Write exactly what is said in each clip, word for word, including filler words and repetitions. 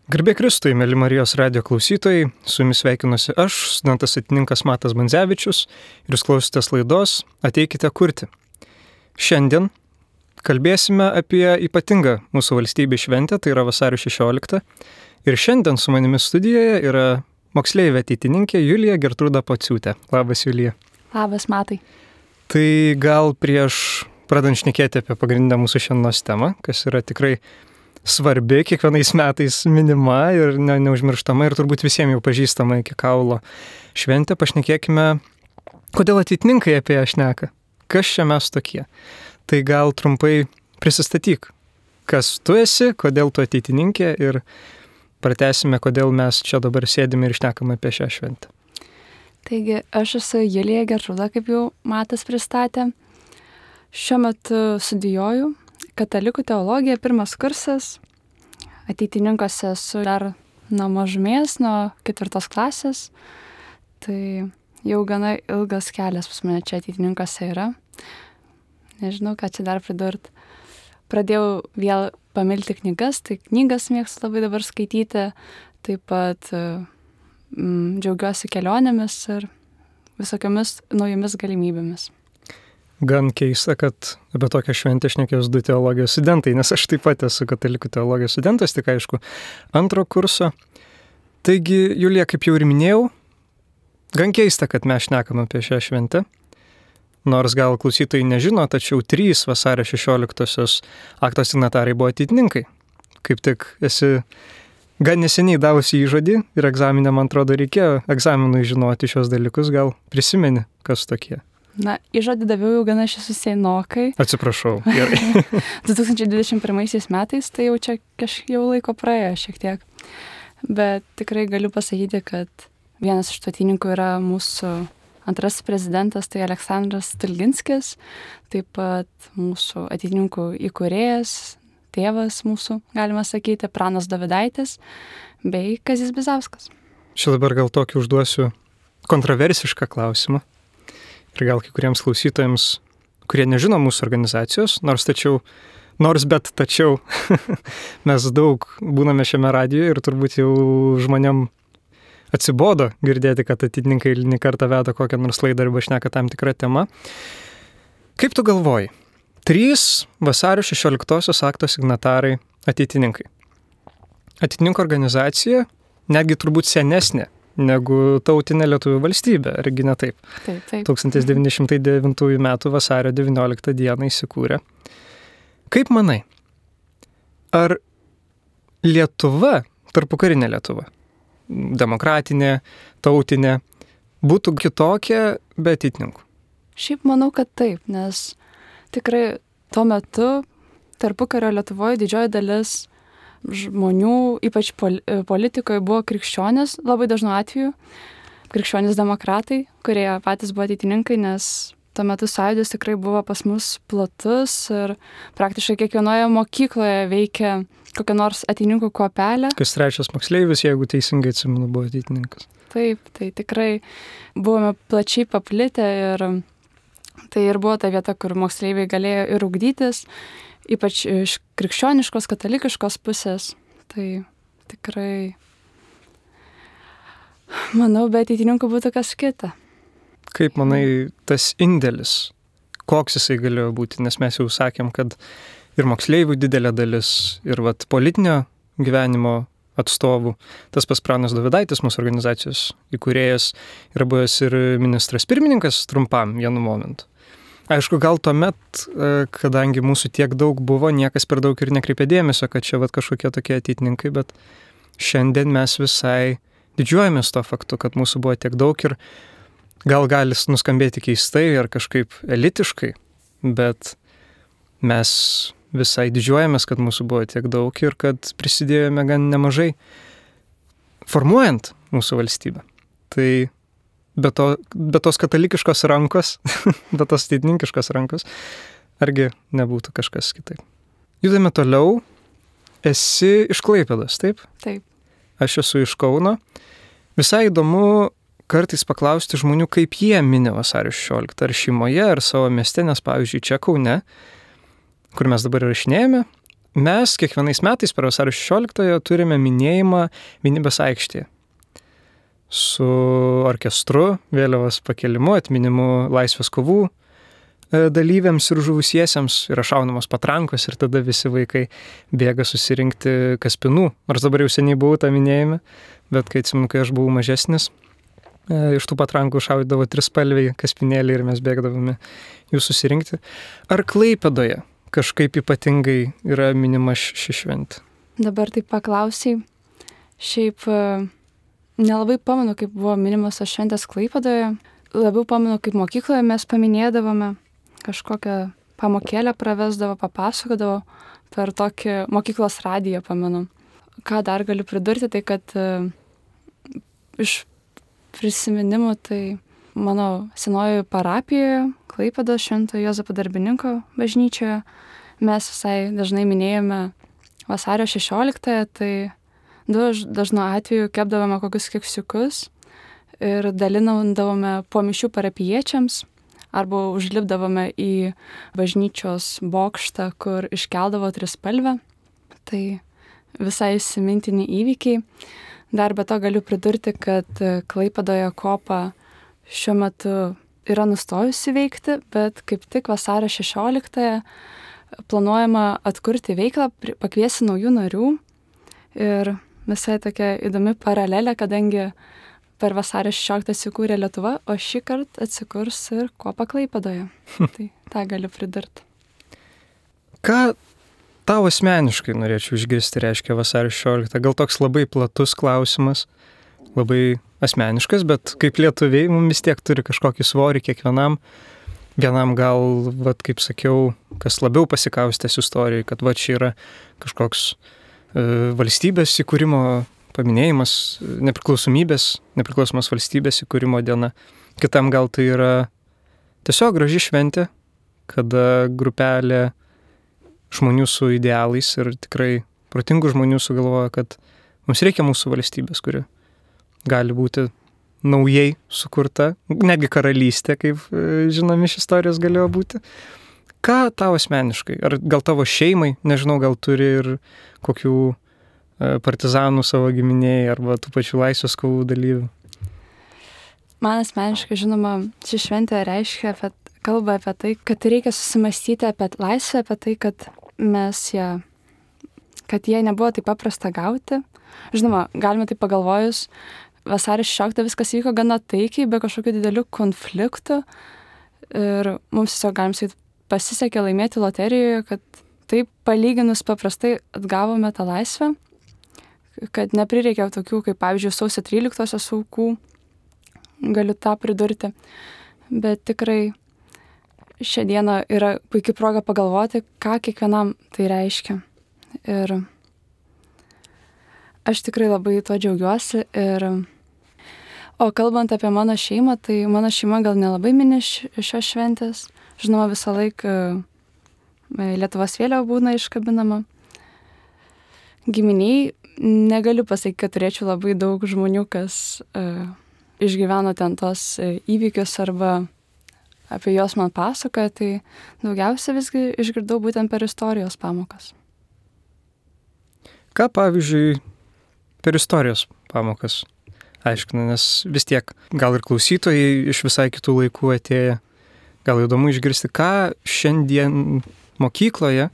Garbė Kristui, mėly Marijos radijo klausytojai, su jumis sveikinuosi aš, studentas ateitininkas Matas Bandzevičius, ir jūs klausotės laidos Ateikite kurti. Šiandien kalbėsime apie ypatingą mūsų valstybės šventę, tai yra vasario šešioliktą. Ir šiandien su manimi studijoje yra moksleivė ateitininkė Julija Gertrūda Pociūtė. Labas, Julija. Labas, Matai. Tai gal prieš pradant šnekėti apie pagrindinę mūsų šiandienos temą, kas yra tikrai svarbi, kiekvienais metais minima ir ne, neužmirštama ir turbūt visiems jau pažįstama iki kaulo šventė, pašnekėkime, kodėl ateitininkai apie ją šneka, kas čia mes tokie. Tai gal trumpai prisistatyk, kas tu esi, kodėl tu ateitininkė ir pratęsime, kodėl mes čia dabar sėdime ir šnekame apie šią šventę. Taigi, aš esu Julija Gertrūda, kaip jau Matas pristatė. Šiuo metu studijuoju katalikų teologiją, pirmas kursas. Ateitininkose esu dar nuo mažumės, nuo ketvirtos klasės. Tai jau gana ilgas kelias pas mane čia ateitininkose yra. Nežinau, ką čia dar pridurt. Pradėjau vėl pamilti knygas, tai knygas mėgstu labai dabar skaityti. Taip pat mm, džiaugiuosi kelionėmis ir visokiamis naujomis galimybėmis. Gan keista, kad apie tokią šventę šnekės du teologijos studentai, nes aš taip pat esu katalikų teologijos studentas, tik aišku, antro kurso. Taigi, Julija, kaip jau ir minėjau, gan keista, kad mes šnekam apie šią šventę. Nors gal klausytojai nežino, tačiau trys vasario šešioliktosios akto signatarai buvo ateitininkai. Kaip tik esi gan neseniai davusi įžodį ir egzaminę, man atrodo, reikėjo egzaminui žinoti šios dalykus, gal prisimeni, kas tokie. Na, įžodį daviau jau gana šis senokai. Atsiprašau, gerai. du tūkstančiai dvidešimt pirmaisiais metais, tai jau čia kažkiek jau laiko praėjo šiek tiek. Bet tikrai galiu pasakyti, kad vienas iš ateitininkų yra mūsų antrasis prezidentas, tai Aleksandras Stulginskis, taip pat mūsų ateitininkų įkūrėjas, tėvas mūsų, galima sakyti, Pranas Dovydaitis, bei Kazys Bizauskas. Čia dabar gal tokį užduosiu kontroversišką klausimą. Ir gal kai kuriems klausytojams, kurie nežino mūsų organizacijos, nors tačiau, nors bet tačiau, mes daug būname šiame radijoje ir turbūt jau žmonėm atsibodo girdėti, kad ateitininkai eilinį kartą veda kokią nors laidą arba šneka tam tikrą temą. Kaip tu galvoji? Trys vasario šešioliktosios akto signatarai ateitininkai. Ateitininkų organizacija, netgi turbūt senesnė negu tautinė Lietuvių valstybė, argi ne taip? Taip, taip. tūkstantis devyni šimtai devintųjų metų vasario devynioliktą dieną įsikūrė. Kaip manai, ar Lietuva, tarpukarinė Lietuva, demokratinė, tautinė, būtų kitokia be ateitininkų? Šiaip manau, kad taip, nes tikrai tuo metu tarpukario Lietuvoje didžioji dalis žmonių, ypač politikoje, buvo krikščionys, labai dažnu atveju, krikščionys demokratai, kurie patys buvo ateitininkai, nes tuo metu sąjūdis tikrai buvo pas mus platus ir praktiškai kiekvienoje mokykloje veikia kokia nors ateitininkų kuopelė. Kas trečias moksleivis, jeigu teisingai atsimenu, buvo ateitininkas. Taip, tai tikrai buvome plačiai paplitę ir tai ir buvo ta vieta, kur moksleiviai galėjo ir ugdytis, ypač iš krikščioniškos, katalikiškos pusės. Tai tikrai, manau, be ateitininkų būtų kas kita. Kaip manai, tas indėlis, koks jisai galėjo būti? Nes mes jau sakėm, kad ir moksleivių didelė dalis, ir vat, politinio gyvenimo atstovų. Tas pas Pranas Dovydaitis, mūsų organizacijos įkūrėjas, yra buvęs ir ministras pirmininkas trumpam vienu momentu. Aišku, gal tuomet, kadangi mūsų tiek daug buvo, niekas per daug ir nekreipė dėmesio, kad čia vat, kažkokie tokie ateitininkai, bet šiandien mes visai didžiuojamės to faktu, kad mūsų buvo tiek daug ir gal gali nuskambėti keistai ar kažkaip elitiškai, bet mes visai didžiuojamės, kad mūsų buvo tiek daug ir kad prisidėjome gan nemažai formuojant mūsų valstybę. Tai be, to, be tos katalikiškos rankos, be tos ateitininkiškos rankos, argi nebūtų kažkas kitaip. Judame toliau. Esi iš Klaipėdos, taip? Taip. Aš esu iš Kauno. Visai įdomu kartais paklausti žmonių, kaip jie mini vasario šešioliktą, ar šeimoje, ar savo mieste, nes pavyzdžiui čia Kaune, kur mes dabar įrašinėjame, mes kiekvienais metais per vasario šešioliktąją turime minėjimą vienybės aikštėje. Su orkestru, vėliavos pakelimu, atminimu laisvės kovų dalyviams ir žuvusiesiems, yra šaunamos patrankos ir tada visi vaikai bėga susirinkti kaspinų. Nors dabar jau seniai buvau tą minėjime, bet kai atsimenu, kai aš buvau mažesnis, iš tų patrankų šaudavo trispalviai kaspinėliai ir mes bėgdavome jų susirinkti. Ar Klaipėdoje kažkaip ypatingai yra minima ši šventė? Dabar taip paklausiai. Šiaip nelabai pamenu, kaip buvo minimas tos šventės Klaipėdoje. Labiau pamenu, kaip mokykloje mes paminėdavome, kažkokią pamokėlę pravesdavo, papasakodavo per tokį mokyklos radiją, pamenu. Ką dar galiu pridurti, tai kad iš prisiminimų, tai mano senojoje parapijoje, Klaipėdos Šventojo Juozapo Darbininko bažnyčioje, mes visai dažnai minėjome vasario šešioliktąją, tai dažnu atveju kepdavome kokius keksiukus ir dalinavome po mišių parapijiečiams arba užlipdavome į bažnyčios bokštą, kur iškeldavo trispalvę. Tai visai įsimintini įvykiai. Dar be to galiu pridurti, kad Klaipėdoje kopa šiuo metu yra nustojusi veikti, bet kaip tik vasario šešioliktąją planuojama atkurti veiklą, pakviesti naujų narių. Ir visai tokia įdomi paralelė, kadangi per vasario šešioliktąją atsikūrė Lietuva, o šį kartą atsikurs ir kopa Klaipėdoje. Tai tą galiu pridurti. Ką tau asmeniškai norėčiau išgirsti reiškia vasario šešioliktą? Gal toks labai platus klausimas, labai asmeniškas, bet kaip lietuviai mums vis tiek turi kažkokį svorį kiekvienam. Vienam gal, vat, kaip sakiau, kas labiau pasikaustęs istorijai, kad va čia yra kažkoks e, valstybės įkūrimo paminėjimas, nepriklausomybės, nepriklausomos valstybės įkūrimo diena. Kitam gal tai yra tiesiog graži šventė, kada grupelė žmonių su idealais ir tikrai protingų žmonių sugalvoja, kad mums reikia mūsų valstybės, kuri gali būti naujai sukurta, netgi karalystė, kaip žinomi iš istorijos galėjo būti. Ką tau asmeniškai, ar gal tavo šeimai, nežinau, gal turi ir kokių partizanų savo giminėjai arba tų pačių laisvės kovų dalyvių? Man asmeniškai, žinoma, ši šventė reiškia, apie, kalba apie tai, kad reikia susimastyti apie laisvę, apie tai, kad mes ją, kad jie nebuvo taip paprasta gauti. Žinoma, galime taip pagalvojus, vasario šešioliktą viskas vyko gana taikiai, be kažkokių didelių konfliktų ir mums tiesiog galim sakyti, pasisekė laimėti loterijoje, kad taip palyginus paprastai atgavome tą laisvę, kad neprireikė tokių, kaip pavyzdžiui, sausio tryliktosios aukų, galiu tą pridurti, bet tikrai šią dieną yra puikia proga pagalvoti, ką kiekvienam tai reiškia. Ir aš tikrai labai tuo džiaugiuosi. Ir... O kalbant apie mano šeimą, tai mano šeima gal nelabai mini šios šventės. Žinoma, visą laiką Lietuvos vėliava būna iškabinama. Giminiai negaliu pasakyti, kad turėčiau labai daug žmonių, kas uh, išgyveno ten tos uh, įvykius arba apie juos man pasakoja, tai daugiausia visgi išgirdau būtent per istorijos pamokas. Ką, pavyzdžiui, per istorijos pamokas aiškina, nes vis tiek gal ir klausytojai iš visai kitų laikų atėję, gal įdomu išgirsti, ką šiandien mokykloje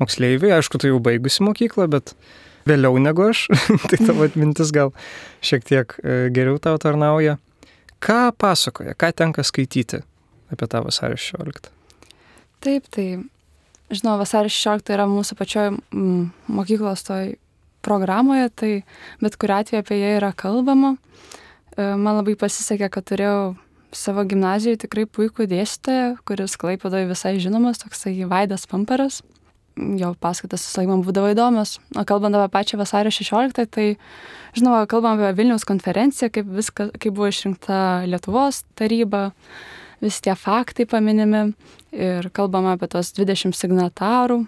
moksleiviai, aišku, tai jau baigusi mokyklą, bet vėliau negu aš, tai tavo atmintis gal šiek tiek geriau tau tarnauja. Ką pasakoja, ką tenka skaityti apie tą vasario šešioliktą? Taip, tai, žinau, vasario šešiolikta yra mūsų pačioj mm, mokyklos toj programoje, tai bet kuriuo atveju apie ją yra kalbama. Man labai pasisekė, kad turėjau savo gimnazijoje tikrai puikų dėstytoją, kuris Klaipėdoje visai žinomas, toksai Vaidas Pamparas. Jo paskaitas visai man būdavo įdomios. O kalbant apie pačią vasario šešioliktą, tai, žinoma, kalbam apie Vilniaus konferenciją, kaip, viską, kaip buvo išrinkta Lietuvos taryba, visi tie faktai paminimi ir kalbam apie tos dvidešimt signatarų.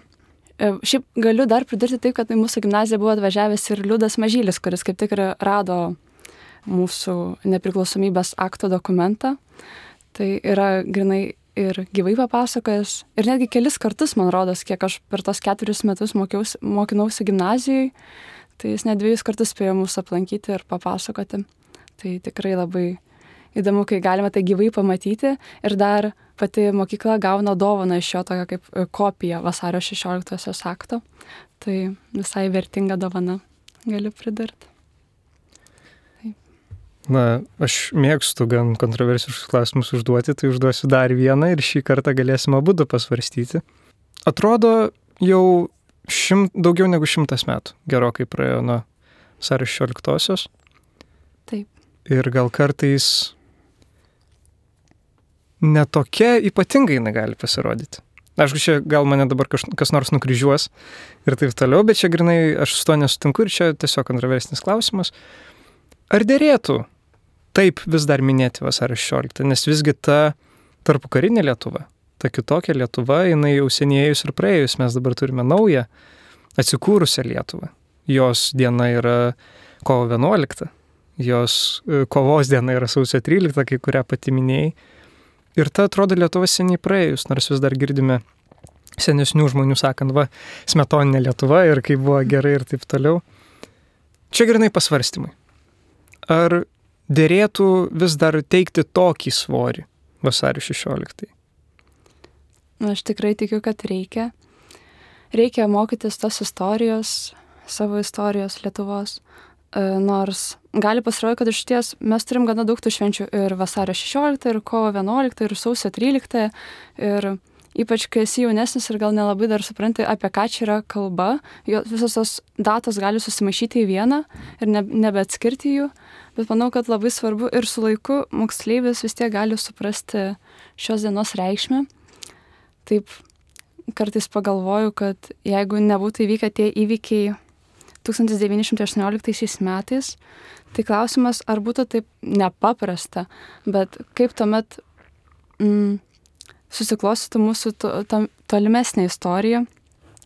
Šiaip galiu dar pridurti taip, kad į mūsų gimnaziją buvo atvažiavęs ir Liudas Mažylis, kuris kaip tik rado mūsų nepriklausomybės akto dokumentą. Tai yra grinai ir gyvai papasakojęs. Ir netgi kelis kartus, man rodos, kiek aš per tos ketverius metus mokiausi, mokinausi gimnazijai, tai jis net dviejus kartus spėjo mūsų aplankyti ir papasakoti. Tai tikrai labai įdomu, kai galime tai gyvai pamatyti. Ir dar pati mokykla gauna dovaną iš jo tokią kaip kopiją vasario šešioliktosios akto. Tai visai vertinga dovana, galiu pridurti. Na, aš mėgstu gan kontroversiškus klausimus užduoti, tai užduosiu dar vieną ir šį kartą galėsime abudu pasvarstyti. Atrodo, jau šimt, daugiau negu šimtas metų gerokai praėjo nuo vasario šešioliktosios. Taip. Ir gal kartais netokia ypatingai jinai gali pasirodyti. Aišku, čia gal mane dabar kaž, kas nors nukryžiuos ir taip toliau, bet čia grinai aš su to nesutinku ir čia tiesiog kontroversinis klausimas. Ar dėrėtų taip vis dar minėti vasario šešioliktą, nes visgi ta tarpukarinė Lietuva, ta kitokia Lietuva, jinai jau senėjus ir praėjus, mes dabar turime naują atsikūrusią Lietuvą. Jos diena yra kovo vienuolikta, jos kovos diena yra sausio trylikta, kai kurią pati minėjai. Ir ta atrodo Lietuva seniai praėjus, nors vis dar girdime senesnių žmonių sakant, va, smetoninė Lietuva ir kaip buvo gerai ir taip toliau. Čia grinai pasvarstymai. Ar dėrėtų vis dar teikti tokį svorį vasario šešioliktai? Aš tikrai tikiu, kad reikia. Reikia mokytis tos istorijos, savo istorijos Lietuvos. Nors gali pasirodyti, kad iš ties mes turim gana daug tų švenčių ir vasario šešioliktą, ir kovo vienuoliktą, ir sausio tryliktą. Ir ypač, kai esi jaunesnis ir gal nelabai dar supranti, apie ką čia yra kalba, visos tos datos gali susimaišyti į vieną ir ne, nebeatskirti jų. Bet manau, kad labai svarbu ir su laiku moksleivis vis tiek gali suprasti šios dienos reikšmę. Taip kartais pagalvoju, kad jeigu nebūtų įvykę tie įvykiai tūkstantis devyni šimtai aštuonioliktaisiais metais, tai klausimas, ar būtų taip nepaprasta, bet kaip tuomet mm, susiklostytų mūsų to, to, tolimesnė istorija,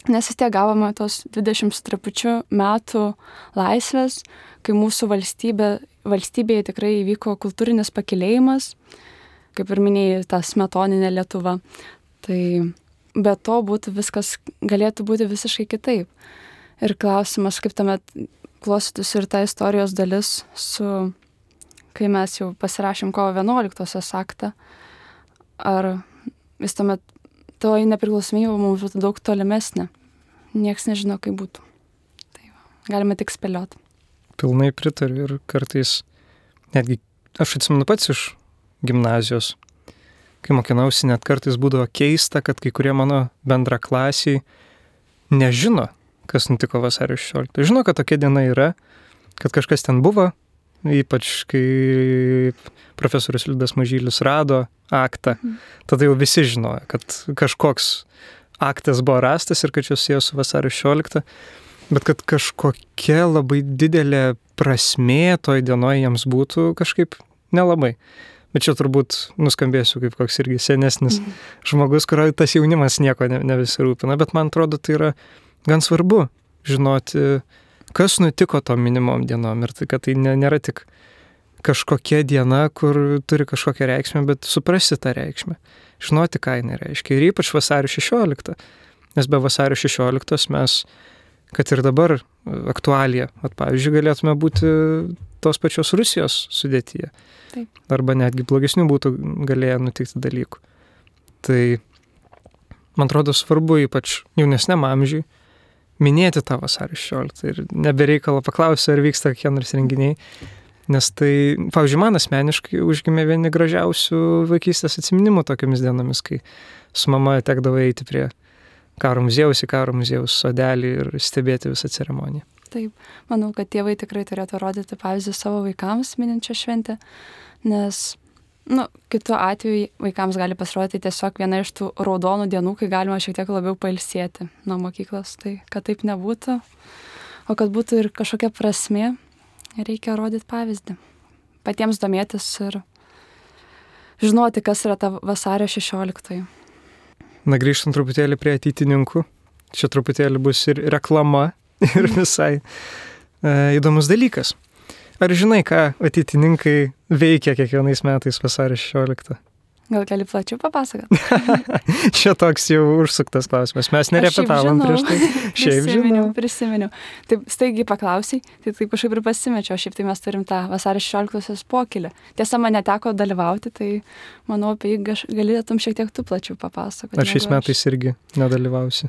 nes vis tiek gavome tos dvidešimt su trupučiu metų laisvės, kai mūsų valstybė, valstybėje tikrai įvyko kultūrinis pakilėjimas, kaip ir minėjai, ta smetoninė Lietuva. Tai be to būtų viskas, galėtų būti visiškai kitaip. Ir klausimas, kaip tuomet klostytųsi ir ta istorijos dalis, su, kai mes jau pasirašėm kovo vienuoliktosios aktą, ar vis tuomet to nepriklausomybė mums būtų daug tolimesnė. Niekas nežino, kaip būtų. Tai va, galime tik spėlioti. Pilnai pritariu ir kartais, netgi aš atsimenu pats iš gimnazijos, kai mokinausi, net kartais būdavo keista, kad kai kurie mano bendraklasiai nežino, kas nutiko vasario šešioliktą. Žino, kad tokia diena yra, kad kažkas ten buvo, ypač kai profesorius Liudas Mažylis rado aktą, mhm. tada jau visi žinojo, kad kažkoks aktas buvo rastas ir kad čia susijęs su vasario šešiolikta, bet kad kažkokia labai didelė prasmė toj dienoj jiems būtų kažkaip nelabai. Bet čia turbūt nuskambėsiu kaip koks irgi senesnis mhm. žmogus, kurio tas jaunimas nieko ne, ne visi rūpina, bet man atrodo, tai yra gan svarbu žinoti, kas nutiko tom minimom dienom ir tai, kad tai nėra tik kažkokia diena, kur turi kažkokią reikšmę, bet suprasti tą reikšmę, žinoti, ką jinai reiškia. Ir ypač vasario šešioliktą, nes be vasario šešioliktos mes, kad ir dabar aktualija, at, pavyzdžiui, galėtume būti tos pačios Rusijos sudėtyje. Taip. Arba netgi blogesnių būtų galėję nutikti dalykų. Tai, man atrodo, svarbu ypač jaunesniam amžiui minėti tą vasario šešioliktą ir nebereikalo paklausiu, ar vyksta kokie nors renginiai, nes tai, pavyzdžiui, man asmeniškai užgimė vieni gražiausių vaikystės atsiminimų tokiamis dienomis, kai su mama tekdavo eiti prie karo muziejaus į karo muziejaus sodelį ir stebėti visą ceremoniją. Taip, manau, kad tėvai tikrai turėtų rodyti pavyzdį savo vaikams mininčią šventę, nes nu, kitu atveju vaikams gali pasirodyti tiesiog viena iš tų raudonų dienų, kai galima šiek tiek labiau pailsėti nuo mokyklos. Tai kad taip nebūtų, o kad būtų ir kažkokia prasmė, reikia rodyti pavyzdį. Patiems domėtis ir žinoti, kas yra ta vasario šešioliktoji. Na, grįžtant truputėlį prie ateitininkų. Čia truputėlį bus ir reklama, ir visai e, įdomus dalykas. Ar žinai, ką ateitininkai veikia kiekvienais metais vasario šešioliktą? Gal gali plačiau papasakot? Čia toks jau užsuktas klausimas. Mes nerepetavom prieš tai. Šiaip prisiminiau, žinau. prisiminiau. Taip staigiai paklausiai, tai taip kažkaip ir pasimečiau. Šiaip tai mes turim tą vasario šešioliktosios pokylį. Tiesa, man neteko dalyvauti, tai manau, apie jį gaš- galėtum šiek tiek tu plačiau papasakoti. Ar šiais negu aš. metais irgi nedalyvausi?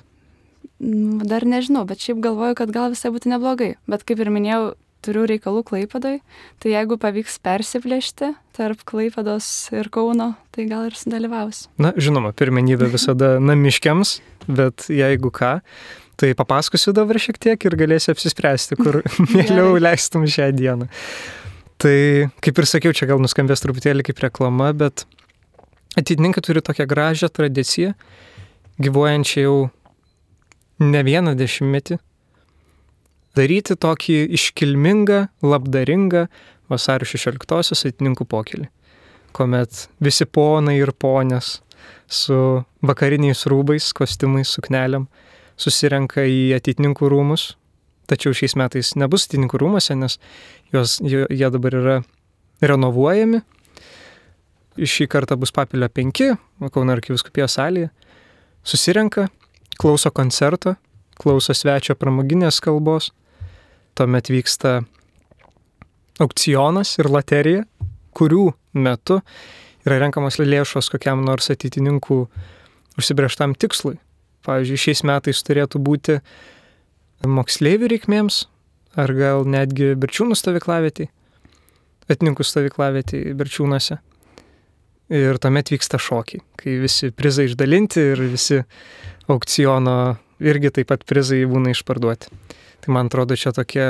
Mm, Dar nežinau, bet šiaip galvoju, kad gal visai būtų neblogai. Bet kaip ir minėjau, turiu reikalų Klaipėdoj, tai jeigu pavyks persiplėšti tarp Klaipėdos ir Kauno, tai gal ir sudalyvausiu. Na, žinoma, pirmenybė visada namiškiams, bet jeigu ką, tai papasakosiu dabar šiek tiek ir galėsi apsispręsti, kur mieliau leistum šią dieną. Tai, kaip ir sakiau, čia gal nuskambės truputėlį kaip reklama, bet ateitininkai turi tokią gražią tradiciją, gyvuojančią jau ne vieną dešimtmetį, daryti tokį iškilmingą, labdaringą vasario šešioliktosios ateitininkų pokylį, kuomet visi ponai ir ponės su vakariniais rūbais, kostiumais, sukneliam susirenka į ateitininkų rūmus, tačiau šiais metais nebus ateitininkų rūmuose, nes jos, jie, jie dabar yra renovuojami. Šį kartą bus Papilio penki, Kauno arkivyskupijos salėje, susirenka, klauso koncerto, klauso svečio pramoginės kalbos, tuomet vyksta aukcionas ir loterija, kurių metu yra renkamos lėšos kokiam nors ateitininkų užsibrėžtam tikslui. Pavyzdžiui, šiais metais turėtų būti moksleivių reikmėms, ar gal netgi Berčiūnų stovyklavietėj, ateitininkų stovyklavietėj Berčiūnuose. Ir tuomet vyksta šokiai, kai visi prizai išdalinti ir visi aukciono irgi taip pat prizai būna išparduoti. Tai man atrodo, čia tokia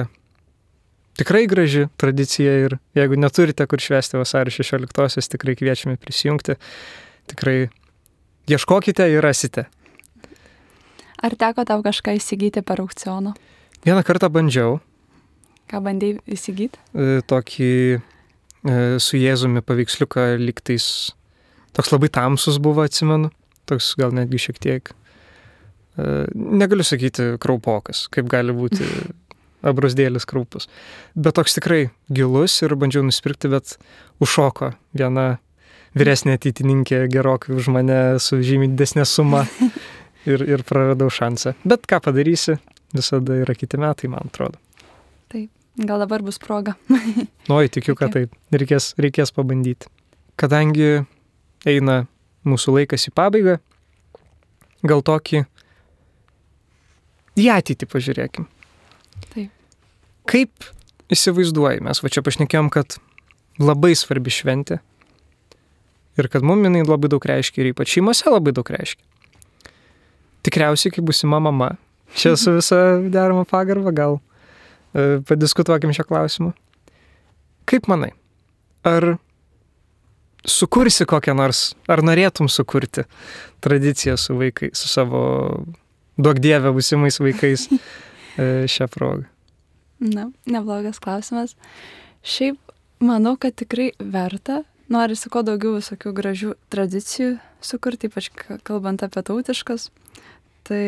tikrai graži tradicija ir jeigu neturite kur švęsti vasario šešioliktosios, tikrai kviečiame prisijungti. Tikrai ieškokite ir rasite. Ar teko tau kažką įsigyti per aukcioną? Vieną kartą bandžiau. Ką bandėjai įsigyti? e, Tokį e, su Jėzumi paveiksliuką lygtais. Toks labai tamsus buvo, atsimenu. Toks gal netgi šiek tiek. Negaliu sakyti kraupokas, kaip gali būti abrasdėlis kraupus. Bet toks tikrai gilus ir bandžiau nusipirkti, bet užšoko viena vyresnė ateitininkė gerokai už mane su žymiai didesnė suma ir, ir praradau šansą. Bet ką padarysi, visada yra kiti metai, man atrodo. Taip, gal dabar bus proga. Oi, tikiu, kad taip. Reikės, reikės pabandyti. Kadangi eina mūsų laikas į pabaigą, gal tokį į ateitį pažiūrėkim. Taip. Kaip įsivaizduoji, mes va čia pašnekėjom, kad labai svarbi šventė ir kad mum jinai labai daug reiškia ir ypač šeimose labai daug reiškia. Tikriausiai, kai būsima mama, čia su visa derama pagarba, gal e, padiskutuokim šią klausimą. Kaip manai, ar sukursi kokią nors, ar norėtum sukurti tradiciją su vaikais, su savo duok dievę būsimais vaikais šią progą? Na, neblogas klausimas. Šiaip manau, kad tikrai verta. Norisi kuo daugiau visokių gražių tradicijų sukurti, ypač kalbant apie tautiškas. Tai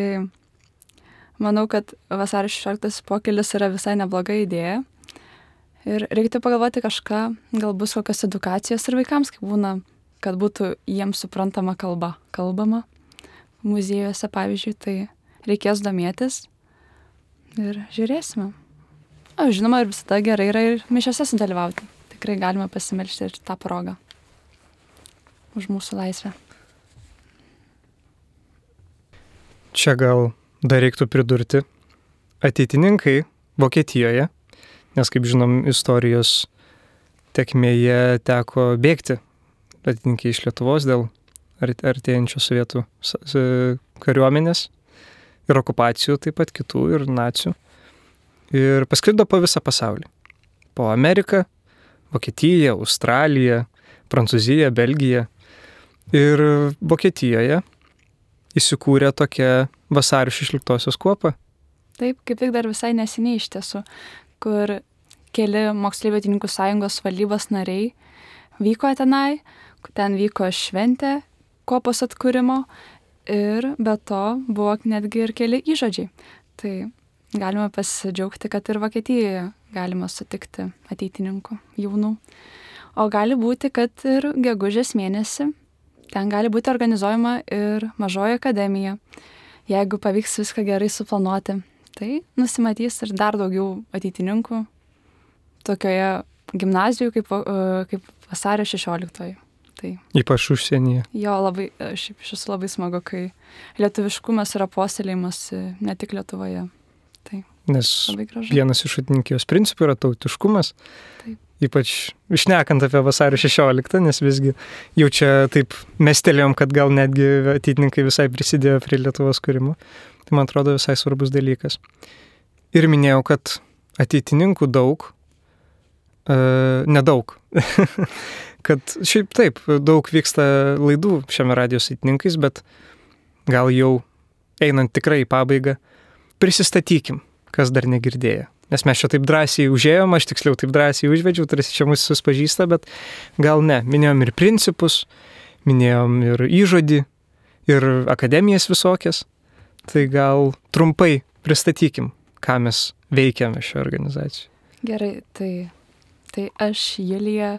manau, kad vasario šešioliktos pokylis yra visai nebloga idėja. Ir reiktų pagalvoti kažką, gal bus kokios edukacijos ir vaikams, kaip būna, kad būtų jiems suprantama kalba, kalbama muziejuose, pavyzdžiui, tai reikės domėtis ir žiūrėsime. O, žinoma, ir visada gerai yra ir mišiose sudalyvauti. Tikrai galima pasimelsti ir tą progą už mūsų laisvę. Čia gal dar reiktų pridurti ateitininkai Vokietijoje, nes, kaip žinom, istorijos tekmėje teko bėgti ateitininkai iš Lietuvos dėl artėjančios sovietų kariuomenės ir okupacijų, taip pat kitų ir nacių. Ir pasklido po visą pasaulį. Po Ameriką, Vokietiją, Australiją, Prancūziją, Belgiją. Ir Vokietijoje įsikūrė tokia vasario šešioliktosios kuopa. Taip, kaip tik dar visai neseniai iš tiesų, kur keli moksleivių ateitininkų sąjungos valdybos nariai vyko tenai, ten vyko šventė kuopos atkūrimo ir be to buvo netgi ir keli įžodžiai. Tai galima pasidžiaugti, kad ir Vokietijoje galima sutikti ateitininkų jaunų. O gali būti, kad ir gegužės mėnesį ten gali būti organizuojama ir mažoji akademija. Jeigu pavyks viską gerai suplanuoti, tai nusimatys ir dar daugiau ateitininkų tokioje gimnazijoje kaip, kaip vasario šešioliktoji. Tai ypač užsienyje. Jo, labai, šiaip šis labai smagu, kai lietuviškumas yra puoselėjimas ne tik Lietuvoje. Tai Nes vienas iš atininkijos principų yra tautiškumas. Taip. Ypač šnekant apie vasario šešioliktą, nes visgi jau čia taip mestelėjom, kad gal netgi ateitininkai visai prisidėjo prie Lietuvos kūrimo. Tai man atrodo visai svarbus dalykas. Ir minėjau, kad ateitininkų daug, e, nedaug. Kad šiaip taip, daug vyksta laidų šiame radijos ateitininkais, bet gal jau einant tikrai į pabaigą, prisistatykim, kas dar negirdėjo. Nes mes čia taip drąsiai užėjom, aš tiksliau taip drąsiai užvedžiau, tarsi čia mūsų suspažįsta, bet gal ne. Minėjom ir principus, minėjom ir įžodį, ir akademijas visokias. Tai gal trumpai pristatykim, ką mes veikiame šioje organizacijoje. Gerai, tai, tai aš, Julija,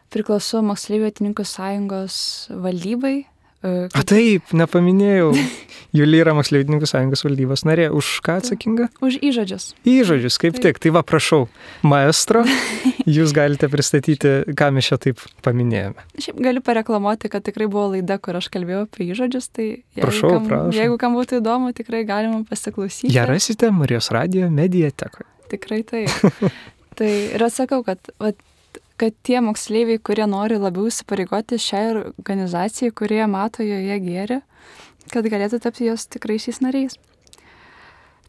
priklausau Moksleivių ateitininkų sąjungos valdybai. Kaip... A taip, nepaminėjau. Julija yra Moksleivių ateitininkų sąjungos valdybos narė. Už ką atsakinga? Už įžodžius. Įžodžius, kaip taip. Tik. Tai va, prašau, maestro, jūs galite pristatyti, ką mes čia taip paminėjome. Šiaip galiu pareklamuoti, kad tikrai buvo laida, kur aš kalbėjau apie įžodžius. Tai jeigu, prašau, kam, prašau. Jeigu kam būtų įdomu, tikrai galima pasiklausyti. Ją rasite Marijos radijo mediatekoje. Tikrai taip. Tai ir atsakau, kad... Va, kad tie moksleiviai, kurie nori labiau įsipareigoti šiai organizacijai, kurie mato joje gėrį, kad galėtų tapti jos tikraisiais nariais.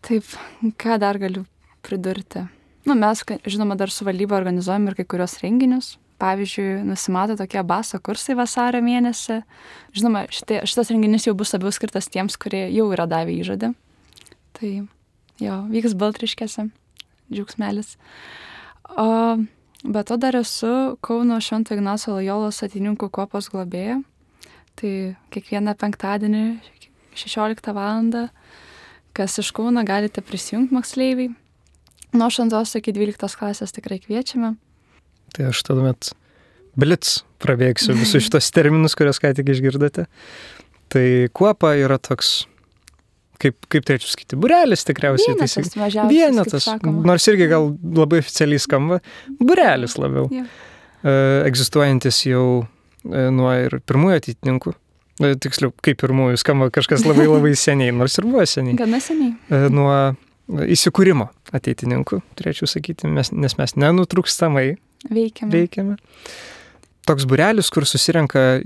Taip, ką dar galiu pridurti? Nu, mes, žinoma, dar su valdyba organizuojam ir kai kurios renginius. Pavyzdžiui, nusimato tokie baso kursai vasario mėnesį. Žinoma, šitie, šitas renginys jau bus labiau skirtas tiems, kurie jau yra davę įžadą. Tai jo, vyks Baltriškėse, džiaugsmelis. O... Bet to dar esu Kauno Švento Ignaco Lojolos ateitininkų kuopos globėja. Tai kiekvieną penktadienį šešioliktą valandą, kas iš Kauno galite prisijungti moksleiviai. Nuo aštuntos iki dvyliktos klasės tikrai kviečiame. Tai aš tuomet blitz prabėgsiu visus šitos terminus, kuriuos ką tik išgirdote. Tai kuopa yra toks... Kaip, kaip turėčiau sakyti, būrelis tikriausiai. Vienetas mažiausias, Vienetas, nors irgi gal labai oficialiai skamba, būrelis labiau. Yeah. E, egzistuojantis jau e, nuo ir pirmųjų ateitininkų. E, tiksliau, kaip pirmųjų skamba kažkas labai labai seniai, nors ir buvo seniai. Gana seniai. E, nuo įsikūrimo ateitininkų, turėčiau sakyti, mes, nes mes nenutrūkstamai veikiame. veikiame. Toks būrelis, kur susirenka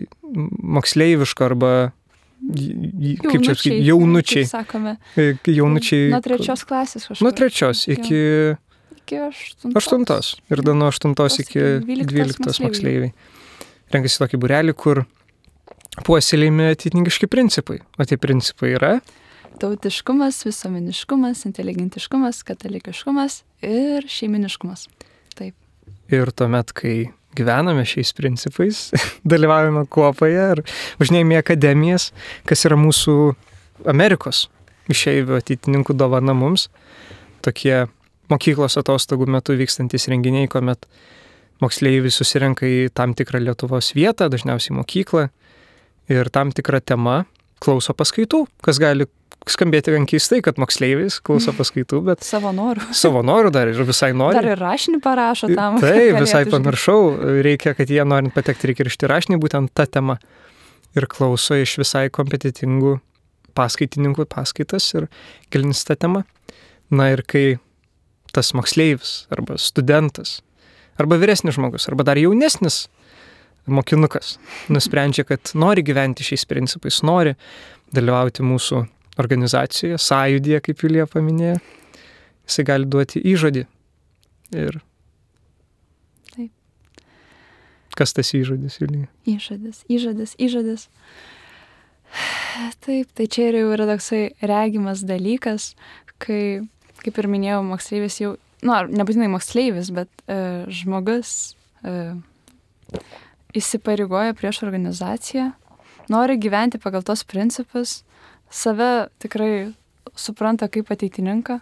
moksleiviško arba kaip čia sakyti, jaunučiai. Kaip sakome. Jaunučiai. Nuo trečios klasės kažkur. Nuo trečios iki... Iki aštuntos. Aštuntos. Ir dar nuo aštuntos iki dvyliktos moksleiviai. Renkasi tokį būrelį, kur puoselėjami ateitininkiški principai. O tie principai yra... Tautiškumas, visuomeniškumas, inteligentiškumas, katalikiškumas ir šeiminiškumas. Taip. Ir tuomet, kai gyvename šiais principais, dalyvaujame kuopoje ir važinėjame į akademijas, kas yra mūsų Amerikos išeivių ateitininkų dovana mums. Tokie mokyklos atostogų metu vykstantis renginiai, kuomet moksleiviai susirenka į tam tikrą Lietuvos vietą, dažniausiai mokyklą, ir tam tikrą temą klauso paskaitų, kas gali skambėti gan keistai, kad moksleivis klauso paskaitų, bet... Savo norų. Savo norų dar ir visai nori. Dar ir rašinį parašo tam. Taip, visai pamiršau. Reikia, kad jie norint patekti, reikia rašti rašinį būtent tą temą. Ir klauso iš visai kompetitingų paskaitininkų paskaitas ir gilins tą temą. Na ir kai tas moksleivis arba studentas, arba vyresnis žmogus, arba dar jaunesnis mokinukas nusprendžia, kad nori gyventi šiais principais, nori dalyvauti mūsų organizacijoje, sąjūdyje, kaip Julija paminėjo, jisai gali duoti įžodį. Ir taip. Kas tas įžodis, Julija? Įžodis, įžodis, įžodis. Taip, tai čia jau yra toksai regimas dalykas, kai, kaip ir minėjau, moksleivis jau, nu, nebūtinai moksleivis, bet e, žmogus e, įsipareigoja prieš organizaciją, nori gyventi pagal tos principus, save tikrai supranta kaip ateitininką.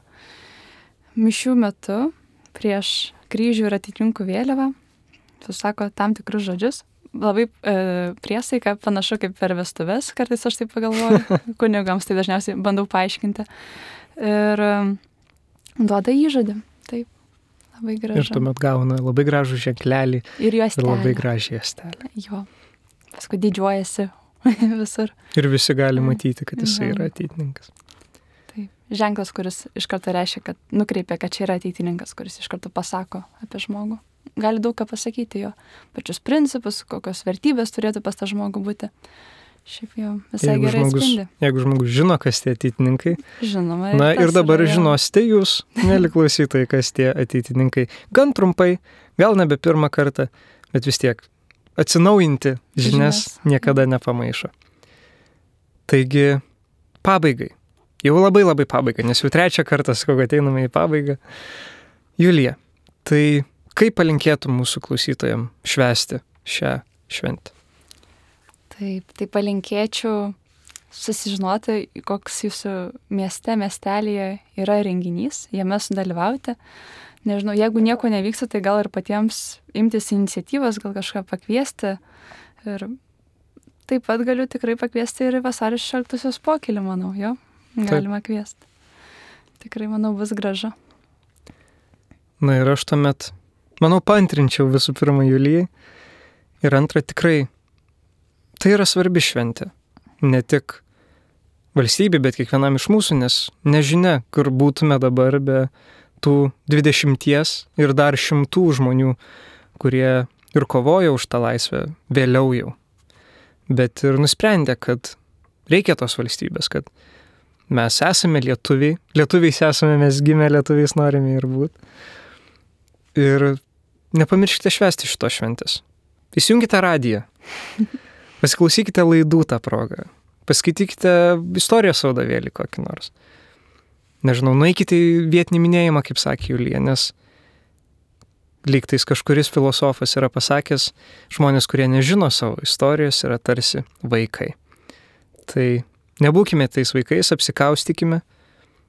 Mišių metu prieš kryžių ir ateitininkų vėliavą susako tam tikrus žodžius. labai e, priesaika, panašu kaip per vestuves, kartais aš taip pagalvoju, kunigams tai dažniausiai bandau paaiškinti. Ir e, duoda įžadį, taip, labai gražu. Ir tuomet gauna labai gražų ženklelį ir, ir labai gražią juostelę. Jo, paskui didžiuojasi visur. Ir visi gali matyti, kad jisai yra ateitininkas. Taip, ženklas, kuris iš karto reiškia, kad nukreipia, kad čia yra ateitininkas, kuris iš karto pasako apie žmogų. Gali daug ką pasakyti jo, pačius principus, kokios vertybės turėtų pas tą žmogų būti. Šiaip jau visai jeigu gerai žmogus, atspindi. Jeigu žmogus žino, kas tie ateitininkai, Žinoma, na ir dabar yra, žinosite jūs, mėly klausytojai, kas tie ateitininkai. Gan trumpai, gal nebe pirmą kartą, bet vis tiek atsinaujinti žinias Žinias. niekada nepamaišo. Taigi, pabaigai. Jau labai labai pabaiga, nes jau trečią kartą, sakau, ateiname į pabaigą. Julija, tai kaip palinkėtum mūsų klausytojams švęsti šią šventę? Taip, tai palinkėčiau susižinoti, koks jūsų mieste, miestelėje yra renginys, jame sudalyvauti. Nežinau, jeigu nieko nevyksta, tai gal ir patiems imtis iniciatyvos, gal kažką pakviesti. Ir taip pat galiu tikrai pakviesti ir vasario šešioliktosios pokylį, manau, jo, galima taip kviesti. Tikrai, manau, bus gražu. Na ir aš tuomet, manau, paantrinčiau visų pirma Julijai. Ir antra, tikrai, tai yra svarbi šventė. Ne tik valstybė, bet kiekvienam iš mūsų, nes nežinia, kur būtume dabar be tų dvidešimties ir dar šimtų žmonių, kurie ir kovoja už tą laisvę vėliau jau. Bet ir nusprendė, kad reikia tos valstybės, kad mes esame lietuviai, lietuviais esame, mes gimę lietuviais norime ir būti. Ir nepamirškite švęsti šitos šventės. Įsijungite radiją, pasiklausykite laidų tą progą, paskaitykite istorijos vadovėlį kokį nors. Nežinau, nueikite į vietinį minėjimą, kaip sakė Julija, nes lygtais kažkuris filosofas yra pasakęs, žmonės, kurie nežino savo istorijos, yra tarsi vaikai. Tai nebūkime tais vaikais, apsikaustykime,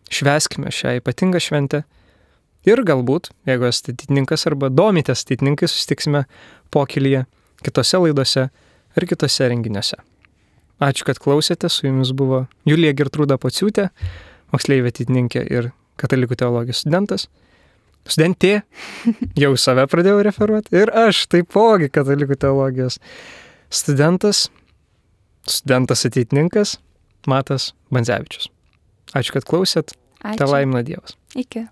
švęskime šią ypatingą šventę ir galbūt, jeigu esate ateitininkas arba domitės ateitininkai, susitiksime pokylyje, kitose laidose ir kitose renginiuose. Ačiū, kad klausėte, su jumis buvo Julija Gertrūda Pociūtė, moksleivė ateitininkė ir katalikų teologijos studentas. Studentė, jau save pradėjau referuoti, ir aš taipogi katalikų teologijos studentas, studentas ateitininkas Matas Bandzevičius. Ačiū, kad klausėt, te laimina Dievas. Iki.